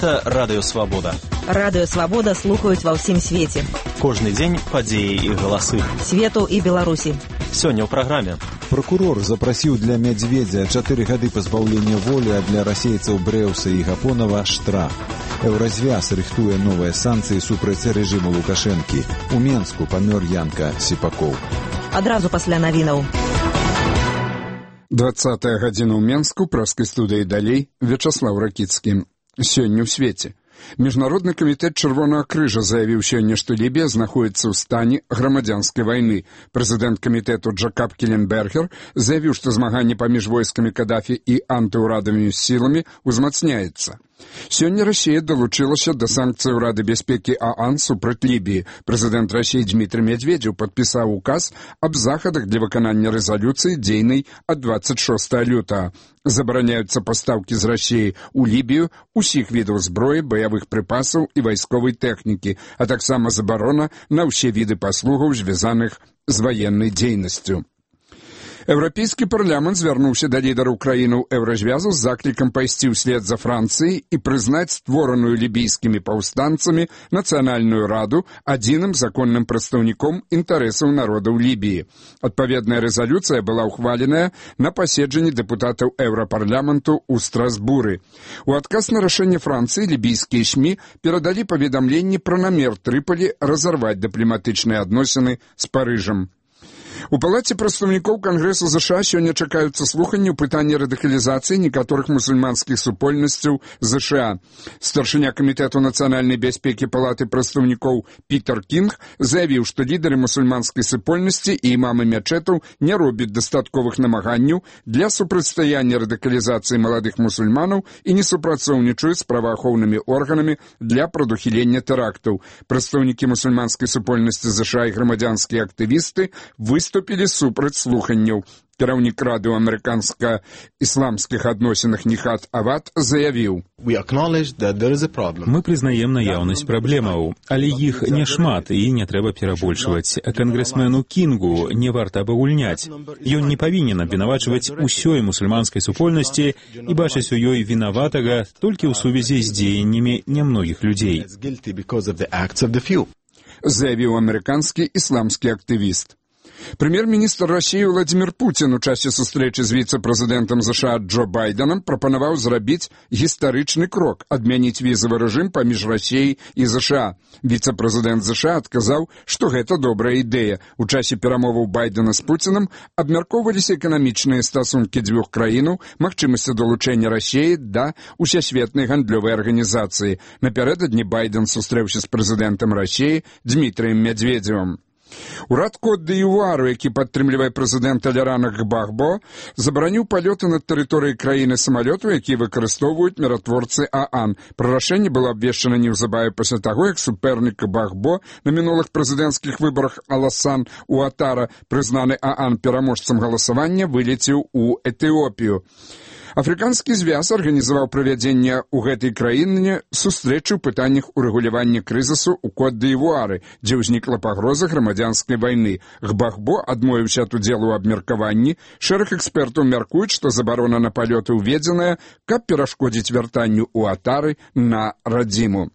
Гэта Радыё Свабода. Радыё Свабода слухаюць ва ўсім свеце. Кожны дзень падзеі і галасы. Свету і Беларусі. Сёння ў праграме. Прокурор запрасіў для Мядзведзя 4 гады пазбаўлення волі, а для расейцаў Брэўса і Гапонава штраф. Еўразвяз рыхтуе новыя санкцыі супраць рэжыму Лукашэнкі. У Менску памёр Янка Сіпакоў. Адразу пасля навінаў. 20-я гадзіна ў Менску, праскай студыі далей, Вячаслаў Ракіцкі. Сёння ў свеце. Міжнародны камітэт Чырвонага крыжа заявіў сёння, што Лібія знаходзіцца ў стане грамадзянскай вайны. Прэзідэнт камітэту Джакаб Келенбергер заявіў, што змаганне паміж войскамі Кадафі і антыўрадавымі сіламі ўзмацняецца. Сёння Расія далучылася да санкцый Рады бяспекі ААН супраць Лібіі. Прэзідэнт Расіі Дмітрый Медведзеў падпісаў указ аб захадах для выканання рэзалюцыі, дзейнай ад 26 лютага. Забараняюцца пастаўкі з Расіі ў Лібію усіх відаў зброі, баявых прыпасаў і вайсковай тэхнікі, а таксама забарона на ўсе віды паслугаў, звязаных з ваеннай дзейнасцю. Еўрапейскі парламент звярнуўся да лідараў краінаў Еўразвязу з заклікам пайсці ўслед за Францыяй і прызнаць створаную лібійскімі паўстанцамі Нацыянальную раду адзіным законным прадстаўніком інтарэсаў народаў Лібіі. Адпаведная рэзалюцыя была ўхваленая на паседжанні дэпутатаў Еўрапарламенту ў Страсбуры. У адказ на рашэнне Францыі лібійскія СМІ перадалі паведамленні пра намер Трыполі разарваць дыпламатычныя адносіны з Парыжам. У палаце прадстаўнікоў Кангрэсу ЗША сёння чакаюцца слуханні ў пытанні радыкалізацыі некаторых мусульманскіх супольнасцяў ЗША. Старшыня камітэту нацыянальнай бяспекі палаты прадстаўнікоў Пітер Кінг заявіў, што лідары мусульманскай супольнасці і імамы мячэтаў не робяць дастатковых намаганняў для супрацьстаяння радыкалізацыі маладых мусульманаў і не супрацоўнічаюць з праваахоўнымі органамі для прадухілення тэрактаў. Прадстаўнікі мусульманскай супольнасці ЗША і грамадзянскія актывісты выступілі супраць слуханняў. Кіраўнік рады ў амерыканска-ісламскіх адносінах Нихат Авад заявіў: Мы прызнаем наяўнасць праблемаў, але іх няшмат і не трэба перабольшваць. Кангрэсмену Кінгу не варта абагульняць. Ён не павінен абвінавачваць усёй мусульманскай супольнасці і бачыць у ёй вінаватага толькі ў сувязі з дзеяннямі нямногіх людзей. Заявіў амерыканскі ісламскі актывіст. Прэм'ер-міністр Расіі Владзімір Пуцін у часе сустрэчы з віцэ-прэзідэнтам ЗША Джо Байденам прапанаваў зрабіць гістарычны крок, адмяніць візавы рэжым паміж Расіяй і ЗША. Віцэ-прэзідэнт ЗША адказаў, што гэта добрая ідэя. У часе перамоваў Байдена з Пуцінам абмяркоўваліся эканамічныя стасункі дзвюх краінаў, магчымасці далучэння Расіі да ўсесветнай гандлёвай арганізацыі. Напярэдадні Байден сустрэўся з прэзідэнтам Расіі Дмітрыем Мядзведзевым. Урад Кот-д'Івуару, які падтрымлівае прэзідэнта Лярана Гбагбо, забараніў палёты над тэрыторыяй краіны самалётаў, якія выкарыстоўваюць міратворцы ААН. Пра рашэнне было абвешчана неўзабаве пасля таго, як супернік Гбагбо на мінулых прэзідэнцкіх выбарах Аласан Уатара, прызнаны ААН пераможцам галасавання, вылецеў у Этыопію. Афрыканскі звяз арганізаваў правядзенне ў гэтай краіне сустрэчы ў пытаннях урэгулявання крызісу ў Кот-д'Івуары, дзе ўзнікла пагроза грамадзянскай вайны. Гбагбо адмовіўся ад удзелу ў абмеркаванні. Шэраг экспертаў мяркуюць, што забарона на палёты ўведзеная, каб перашкодзіць вяртанню Уатары на радзіму.